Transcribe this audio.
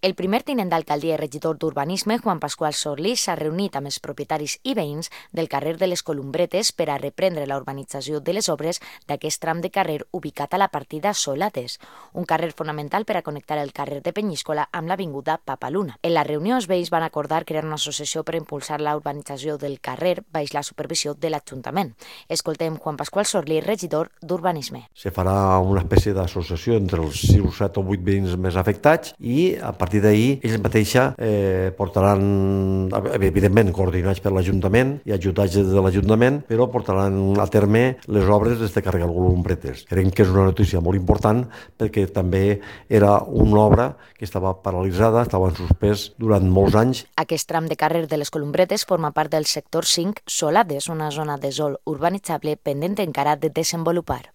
El primer tinent d'alcaldia i regidor d'Urbanisme, Juan Pascual Sorlí, s'ha reunit amb els propietaris i veïns del carrer de les Columbretes per a reprendre la urbanització de les obres d'aquest tram de carrer ubicat a la partida Solates, un carrer fonamental per a connectar el carrer de Penyíscola amb l'avinguda Papaluna. En la reunió, els veïns van acordar crear una associació per impulsar la urbanització del carrer baix la supervisió de l'Ajuntament. Escoltem Juan Pascual Sorlí, regidor d'Urbanisme. Se farà una espècie d'associació entre els 6, 7 o 8 veïns més afectats i a partir d'ahir ells mateixa portaran, evidentment coordinats per l'Ajuntament i ajudats de l'Ajuntament, però portaran a terme les obres des de carregar el Columbretes. Creiem que és una notícia molt important perquè també era una obra que estava paralitzada, estava en suspès durant molts anys. Aquest tram de carrer de les Columbretes forma part del sector 5 Solades, una zona de sòl urbanitzable pendent encara de desenvolupar.